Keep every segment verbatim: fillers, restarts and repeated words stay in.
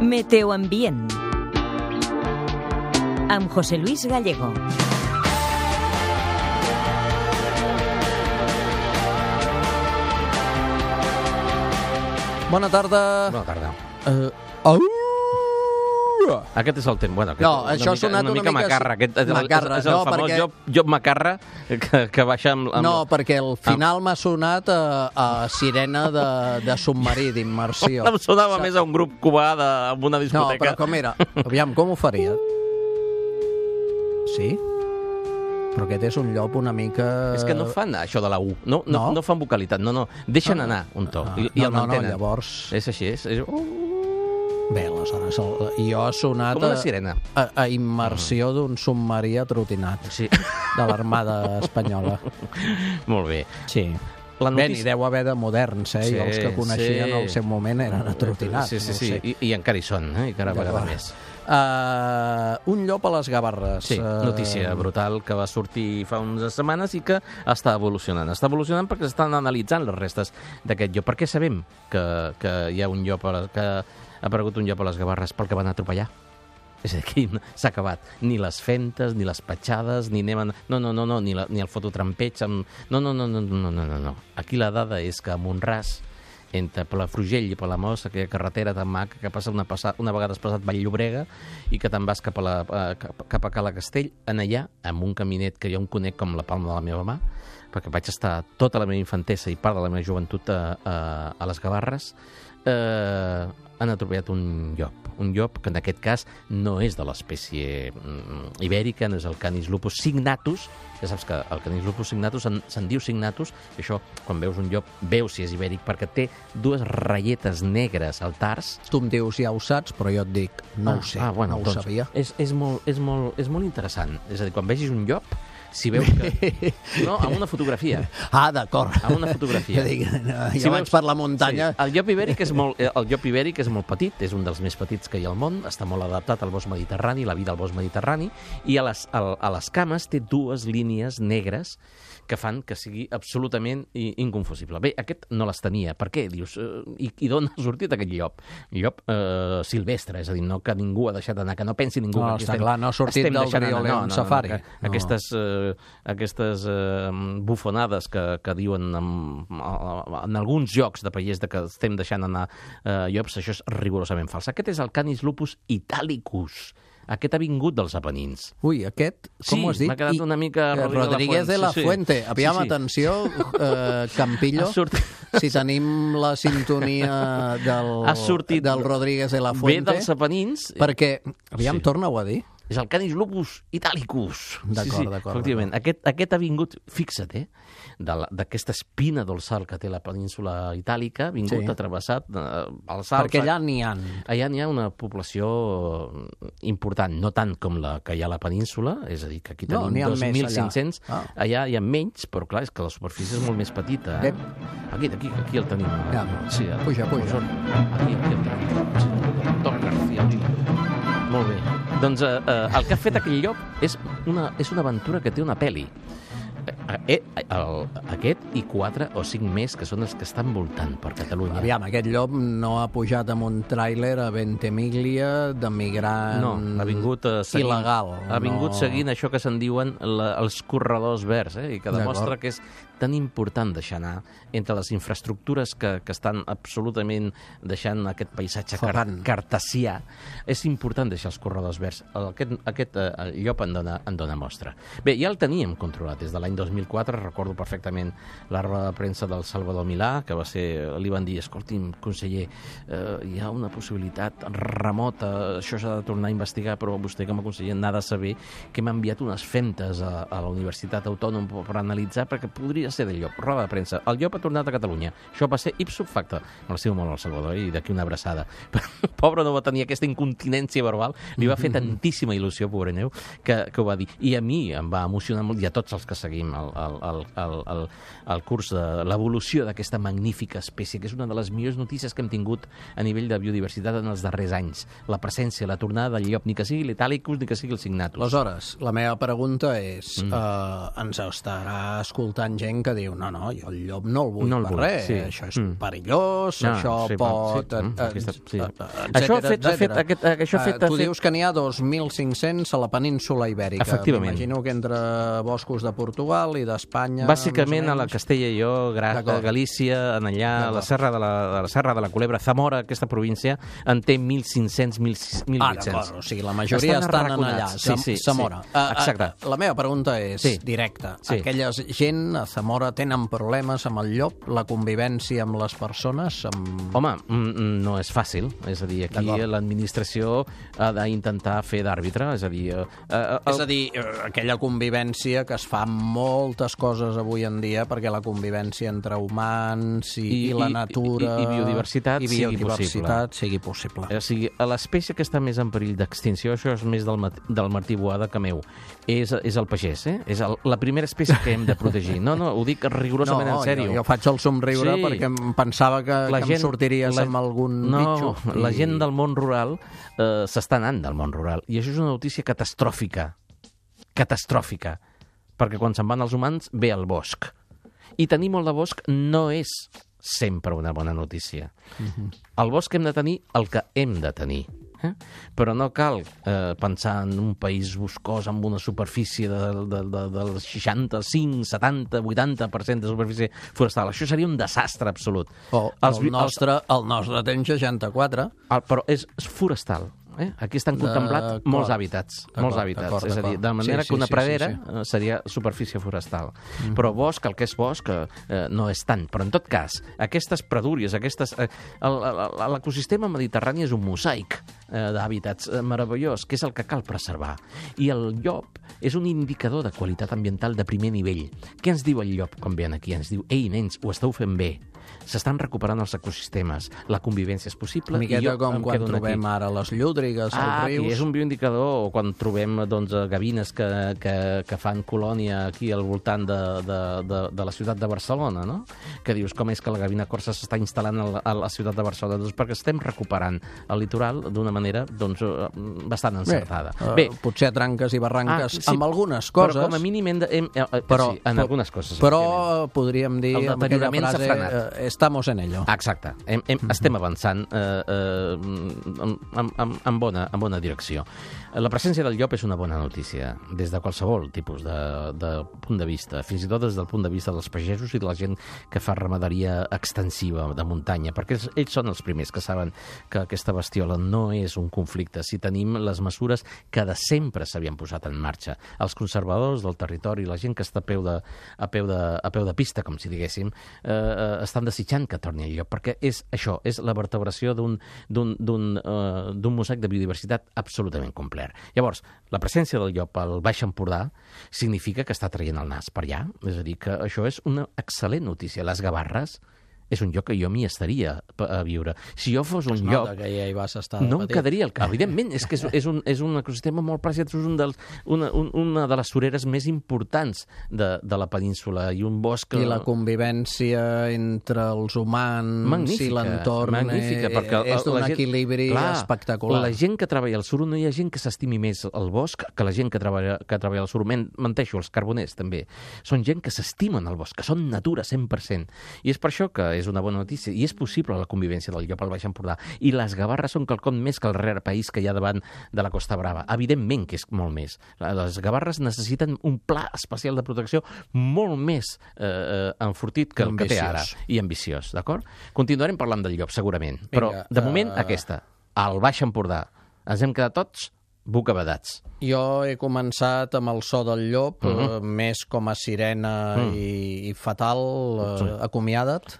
Meteoambient amb José Luis Gallego. Bona tarda. Bona tarda. Uh, au! Aquest és el temps. Bueno, aquest, No, això una ha sonat una una mica mica... macarra. Aquest és el, macarra, és el no, famós perquè- job, job macarra que, que baixa amb... amb... No, perquè al final m'ha sonat a, a sirena de, de submarí, d'immersió. Em sonava més a un grup cubà de, en una No, discoteca. però com era? Aviam, com ho faria? Sí? Però aquest és un llop una mica... És que no fan això de la U. No, no, No? no fan vocalitat. No, no. Deixen Ah. anar un to. Ah, I, i no, el no, no, mantenen. llavors... És així, és... és... Uh, Bé, aleshores, el, jo ha sonat com una a, sirena. a, a immersió d'un submarí atrotinat Sí. de l'Armada Espanyola. Molt bé. Sí. La Bé, n'hi notícia... deu haver de moderns, eh? Sí, I els que coneixien sí. al seu moment eren atrotinats. Sí, sí, no ho sí. sé. I, I encara hi són, eh? I cada vegada D'acord. més. Uh, un llop a les Gavarres. Sí, Uh, notícia brutal que va sortir fa unes setmanes i que està evolucionant. Està evolucionant perquè s'estan analitzant les restes d'aquest llop. Per què sabem que, que hi ha un llop, a la, que ha aparegut un llop a les Gavarres? Pel que van atropellar. És a dir, aquí s'ha acabat. Ni les fentes, ni les petjades, ni anem... A... No, no, no, no, ni, la, ni el fototrampeig. Amb... No, no, no, no, no, no, no, no. Aquí la dada és que a Montràs, entre Palafrugell i Palamós, aquella carretera tan maca que passa una, passa, una vegada has passat Vall-llobrega i que te'n vas cap a, la, a, cap, cap a Cala Castell, en allà, amb un caminet que jo em conec com la palma de la meva mà, perquè vaig estar tota la meva infantesa i part de la meva joventut a, a, a les Gavarres, eh, han atropellat un llop. Un llop que en aquest cas no és de l'espècie mm, ibèrica, no és el Canis lupus signatus. Ja saps que el Canis lupus signatus se'n se diu signatus, i això, quan veus un llop, veus si és ibèric, perquè té dues ratlletes negres al tars. Tu em dius, ja ho saps, però jo et dic, no ah, ho sé, ah, bueno, no ho doncs, sabia. És, és, molt, és, molt, és molt interessant. És a dir, quan vegis un llop, si veus que... No, amb una fotografia. Ah, d'acord. Amb una fotografia. Jo dic, no, jo Si vaig veus- per la muntanya... Sí. El llop ibèric és molt, el llop ibèric és molt petit, és un dels més petits que hi ha al món, està molt adaptat al bosc mediterrani, la vida al bosc mediterrani, i a les, a, a les cames té dues línies negres que fan que sigui absolutament i- inconfusible. Bé, aquest no les tenia. Per què? Dius, eh, i, i d'on ha sortit aquest llop? Llop eh, silvestre, és a dir, no que ningú ha deixat anar, que no pensi ningú. No, que aquí està estem- clar, no ha sortit estem del deixant anar. Rioleón Safari. que No. Aquestes, eh, aquestes eh, bufonades que, que diuen en, en alguns jocs de pallers de que estem deixant anar eh, llops, això és rigorosament fals. Aquest és el Canis lupus italicus. Aquest ha vingut dels Apenins. Ui, aquest, com Sí, ho has dit? m'ha quedat I- una mica eh, Rodríguez Rodríguez de de la la Fuente. Fuente. Sí, sí. Aviam, Sí, sí. atenció, eh, Campillo, Ha sortit- si tenim la sintonia del, Ha sortit- del Rodríguez de la Ve Fuente, dels Apenins. perquè, aviam, Sí. torna-ho a dir. És el Canis lupus italicus. D'acord, d'acord, Efectivament. Aquest, aquest ha vingut, fixa't, eh, de la- d'aquesta espina dorsal que té la península itàlica, ha vingut Sí. sí. travessat eh, els Alps. Perquè allà n'hi ha. Allà n'hi ha una població important, no tant com la que hi ha a la península, és a dir, que aquí No, tenim n'hi ha dos més mil allà. cinc-cents, Ah. allà hi ha menys, però clar, és que la superfície és molt més petita. Eh? Ep. Aquí, aquí, aquí el tenim. Ja, sí, eh? puja, puja. Aquí, aquí el tenim. Sí. Doctor García Oliva. Molt bé. Doncs eh, eh, el que ha fet aquell llop és una, és una aventura que té una pel·li. Eh, eh, el, aquest i quatre o cinc més que són els que estan voltant per Catalunya. Aviam, aquest llop no ha pujat amb un tràiler a Ventimiglia de migrant No, ha vingut uh, seguint, il·legal. Ha vingut no... seguint això que se'n diuen la, els corredors verds, eh? I que demostra que és tan important deixar anar entre les infraestructures que, que estan absolutament deixant aquest paisatge car Ferrant. cartesià. És important deixar els corredors verds. Aquest, aquest uh, el llop en dona, en dona mostra. Bé, ja el teníem controlat des de l'any dos mil quatre, recordo perfectament la roda de premsa del Salvador Milà, que va ser, li van dir, escolti'm, conseller, eh, hi ha una possibilitat remota, això s'ha de tornar a investigar, però vostè com a conseller n'ha de saber que m'ha enviat unes femtes a, a la Universitat Autònoma per analitzar, perquè podria ser del llop. Roda de premsa. El llop ha tornat a Catalunya. Això va ser ipso facto. Me l'estiu molt al Salvador i d'aquí una abraçada. Però el pobre no va tenir aquesta incontinència verbal, li va fer tantíssima il·lusió, pobre neu, que, que ho va dir. I a mi em va emocionar molt, i a tots els que seguim el, el, el, el, el, el curs de l'evolució d'aquesta magnífica espècie, que és una de les millors notícies que hem tingut a nivell de biodiversitat en els darrers anys. La presència, la tornada del llop, ni que sigui l'Italicus, ni que sigui el Signatus. Aleshores, la meva pregunta és, mm. eh, ens estarà escoltant gent gent que diu, no, no, jo el llop no el vull No el per vull, res, sí. això és Mm. perillós, No, això sí, va, pot... sí, mm, eh, aquesta- sí. eh, Això ha fet- ha etcètera, fet- aquest- això ha etcètera. fet- Eh, ha Tu fet- dius que n'hi ha dos mil cinc-cents a la península Ibèrica. Efectivament. M'imagino que entre boscos de Portugal i d'Espanya... Bàsicament més o a la menys. Castella i Lleó, Gra D'acord. Galícia, en allà, a la D'acord. serra de la, de la serra de la Culebra, Zamora, aquesta província, en té mil cinc-cents, mil Ah, vuit-cents. d'acord, o sigui, la majoria estan, estan allà, arraconats. Zam- Sí, sí, Zamora. sí. Uh, uh, Exacte. La meva pregunta és Sí. directa. Sí. Aquella gent a Zamora tenen problemes amb el llop, la convivència amb les persones? Amb... Home, mm, no és fàcil. És a dir, aquí D'acord. l'administració ha d'intentar fer d'àrbitre. És a dir... Eh, eh, És a dir, eh, aquella convivència que es fa amb moltes coses avui en dia perquè la convivència entre humans i, i, I- i la i- natura... i- i biodiversitat i sigui biodiversitat sigui possible. O sigui, a l'espècie que està més en perill d'extinció, això és més del, mat- del Martí Boada que meu, és, és el pagès, eh? És el, la primera espècie que hem de protegir. No, no, ho dic rigorosament no, en sèrio. Jo, jo faig el somriure Sí. perquè em pensava que, La que gent- em sortiries la- amb algun no, bitxo. la gent del món rural eh, s'està anant del món rural. I això és una notícia catastròfica. Catastròfica. Perquè quan se'n van els humans, ve el bosc. I tenir molt de bosc no és sempre una bona notícia. Mhm. Al bosc hem de tenir el que hem de tenir. Eh? Però no cal eh, pensar en un país boscós amb una superfície de, de, de, del seixanta-cinc, setanta, vuitanta per cent de superfície forestal. Això seria un desastre absolut. O, Els el, vi- nostre, el nostre té un seixanta-quatre. El, però és, és forestal. Eh? Aquí estan contemplats D'acord. molts hàbitats. D'acord, Molts hàbitats. d'acord, És a dir, de d'acord. manera Sí, que una sí, sí, pradera sí, sí. eh, seria superfície forestal. Mm. Però bosc, el que és bosc, eh, no és tant. Però en tot cas, aquestes pradúries, aquestes... Eh, el- el- l'ecosistema mediterrani és un mosaic eh, d'hàbitats eh, meravellós, que és el que cal preservar. I el llop és un indicador de qualitat ambiental de primer nivell. Què ens diu el llop quan ve aquí? Ens diu, ei, nens, ho esteu fent bé. S'estan recuperant els ecosistemes, la convivència és possible... Una miqueta i jo com em quan quedo trobem aquí. ara les llúdrigues, Ah, als aquí rius... és un bioindicador, o quan trobem doncs, gavines que, que, que fan colònia aquí al voltant de, de, de, de la ciutat de Barcelona, no? Que dius, com és que la gavina corsa s'està instal·lant a la, a la ciutat de Barcelona? Doncs perquè estem recuperant el litoral d'una manera doncs, eh, bastant encertada. Bé, Bé, uh, potser a tranques i barranques Ah, sí, amb algunes coses, però com a mínim hem de... Hem, eh, eh, però, sí, en però- algunes coses. però efectivament. podríem dir El amb aquella deteriorament s'ha frase frenat. eh, estamos en ello. Exacte, hem, hem, estem avançant eh, eh, en, en, en, en, bona, en bona direcció. La presència del llop és una bona notícia, des de qualsevol tipus de, de punt de vista, fins i tot des del punt de vista dels pagesos i de la gent que fa ramaderia extensiva de muntanya, perquè ells, ells són els primers que saben que aquesta bestiola no és un conflicte si tenim les mesures que de sempre s'havien posat en marxa. Els conservadors del territori, la gent que està a peu de, a peu de, a peu de pista, com si diguéssim, eh, eh, estan desitjant que torni el llop, perquè és això, és la vertebració d'un d'un d'un eh, d'un mosaic de biodiversitat absolutament complet. Llavors, la presència del llop al Baix Empordà significa que està traient el nas per allà, és a dir, que això és una excel·lent notícia. Les Gavarres és un lloc que jo m'hi estaria a viure. Si jo fos un Es lloc... nota que ja hi vas estar No em petit. quedaria al cap. Evidentment, és que és, és, un, és un ecosistema molt preciat, és un dels, una, un, una de les sureres més importants de, de la península i un bosc... I la convivència entre els humans magnífica, i l'entorn magnífica, eh, perquè és d'un la gent- equilibri clar, espectacular. La gent que treballa al suro, no hi ha gent que s'estimi més el bosc que la gent que treballa, que treballa al suro. Men, menteixo, els carboners també. Són gent que s'estimen el bosc, que són natura cent per cent. I és per això que és una bona notícia. I és possible la convivència del llop al Baix Empordà. I les Gavarres són quelcom més que el rere país que hi ha davant de la Costa Brava. Evidentment que és molt més. Les Gavarres necessiten un pla especial de protecció molt més eh, enfortit que el que té ara. I ambiciós, d'acord? Continuarem parlant del llop, segurament. Però, Vinga, de moment, uh... aquesta. Al Baix Empordà. Ens hem quedat tots bocabadats. Jo he començat amb el so del llop, uh Mhm. -huh. eh, més com a sirena Mm. i, i fatal, eh, Sí. acomiada't.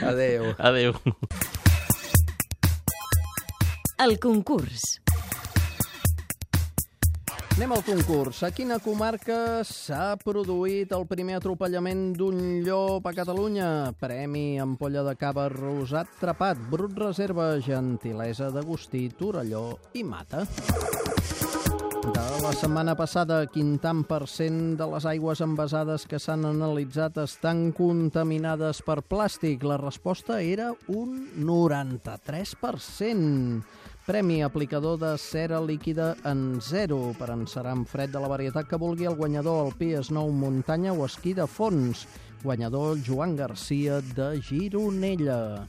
Adéu. Adéu. El concurs. Anem al concurs. A quina comarca s'ha produït el primer atropellament d'un llop a Catalunya? Premi ampolla de cava rosat trapat, brut reserva, gentilesa d'Agustí, Torelló i Mata. De la setmana passada, quin tant per cent de les aigües envasades que s'han analitzat estan contaminades per plàstic? La resposta era un noranta-tres per cent. Premi aplicador de cera líquida en zero per encerar amb fred de la varietat que vulgui el guanyador alpí, snow, muntanya o esquí de fons. Guanyador Joan Garcia de Gironella.